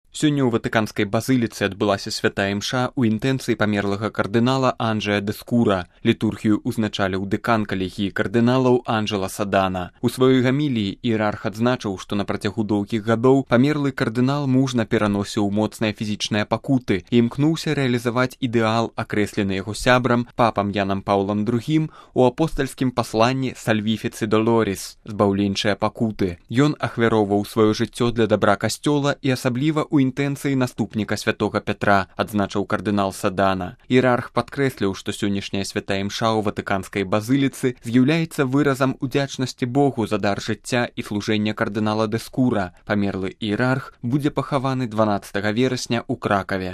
Сёння ў ватыканскай базыліцы адбылася святая імша ў інтэнцыі памерлага кардынала Анджэа дэ Скура. Літургію ўзначаліў дэкан калегіі кардыналаў Анджэла Садана. У сваёй гаміліі іерарх адзначыў, што на працягу доўгіх гадоў памерлы кардынал мужна пераносіў моцныя фізічныя пакуты і імкнуўся рэалізаваць ідэал, акрэслены яго сябрам, папам Янам Паўлам II у апостальскім пасланні «Сальвіфіцы Долоріс» – «Збаўленчыя пакуты». Ён ахвяроўваў сваё жыццё для дабра касцёла і асабліва ў інтэнцыі наступніка святога Пятра, адзначыў кардынал Садана. Іерарх падкрэсліў, што сённяшняя святая імша ў ватыканскай базыліцы з'яўляецца выразам удзячнасці Богу за дар жыцця і служэння кардынала дэ Скура. Памерлы іерарх будзе пахаваны 12 верасня ў Кракаве.